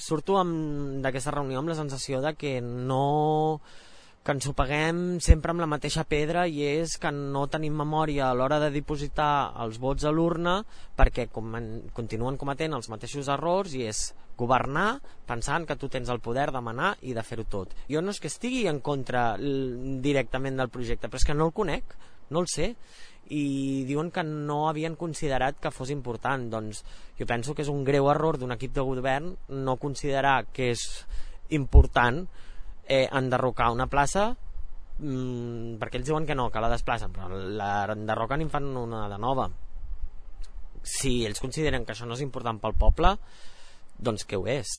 surto d'aquesta reunió amb la sensació de que que ens ho paguem sempre amb la mateixa pedra, i és que no tenim memòria a l'hora de dipositar els vots a l'urna, perquè continuen cometent els mateixos errors, i és governar pensant que tu tens el poder de manar i de fer-ho tot. Jo no és que estigui en contra directament del projecte, però és que no el conec, no el sé, i diuen que no havien considerat que fos important. Doncs jo penso que és un greu error d'un equip de govern no considerar que és important enderrocar una plaça, perquè ells diuen que no, que la desplacen, però l'enderroquen i en fan una de nova. Si ells consideren que això no és important pel poble, doncs què ho és?